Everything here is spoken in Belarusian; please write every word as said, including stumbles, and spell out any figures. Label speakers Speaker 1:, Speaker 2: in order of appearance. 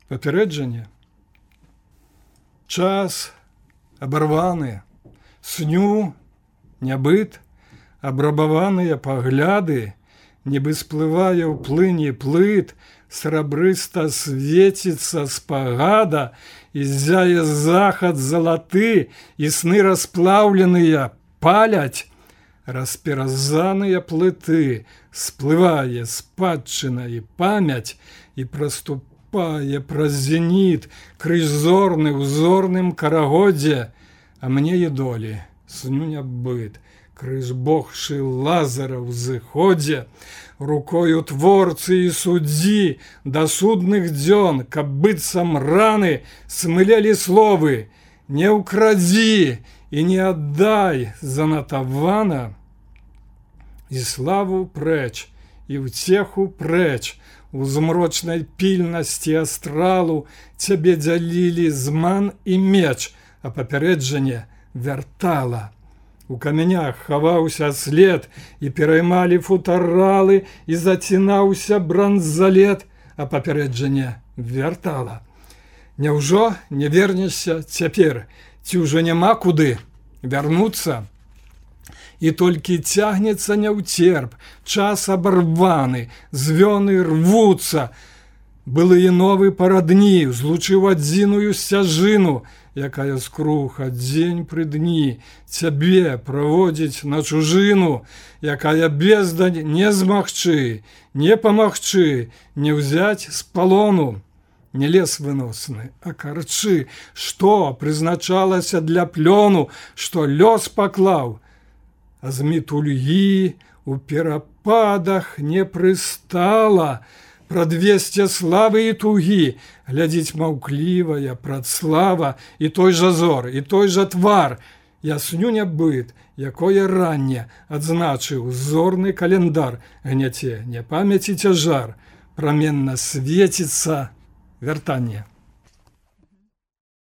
Speaker 1: Папярэджанне. Час абарваны, сню нябыт, абрабаваныя пагляды, нібы сплывае ў плыні плыт, срабрыста свеціцца спагада, і ззяе захад залаты, і сны расплаўленыя паляць, расперазаныя плыты, сплывае спадчына і памяць, і праступае праз зеніт крыж зорны ў зорным карагодзе, а мне і долі сню нябыт, крыж богшы Лазара ў зыходзе, рукою творцы і суддзі да судных дзён, каб быццам раны смылелі словы: не ўкрадзі і не аддай занатавана, і славу прэч, і ўцеху прэч, у змрочнай пільнасці астралу цябе дзялілі зман і меч, а папярэджанне вяртала. У камянях хаваўся след, і пераймалі футаралы, і зацінаўся бранзалет, а папярэджанне вяртала. Няўжо не вернешся цяпер, ці ўжо няма куды вярнуцца? І толькі цягнецца няўцерп, час абарваны, звёны рвуцца. Былыя новы парадні злучыў адзіную сцяжыну, якая скруха дзень пры дні цябе праводзіць на чужыну, якая бездань не змагчы, не памагчы, не ўзяць з палону. Не лес выносны, а карчы, што прызначалася для плёну, што лёс паклаў, а з мітульгі у перападах не прыстала. Прадвесце славы і тугі глядзіць маўклівая прадслава, і той жа зор, і той жа твар. Я сню нябыт, якое ранне адзначыў зорны календар, гняце не памяці цяжар, праменна свеціцца вяртанне.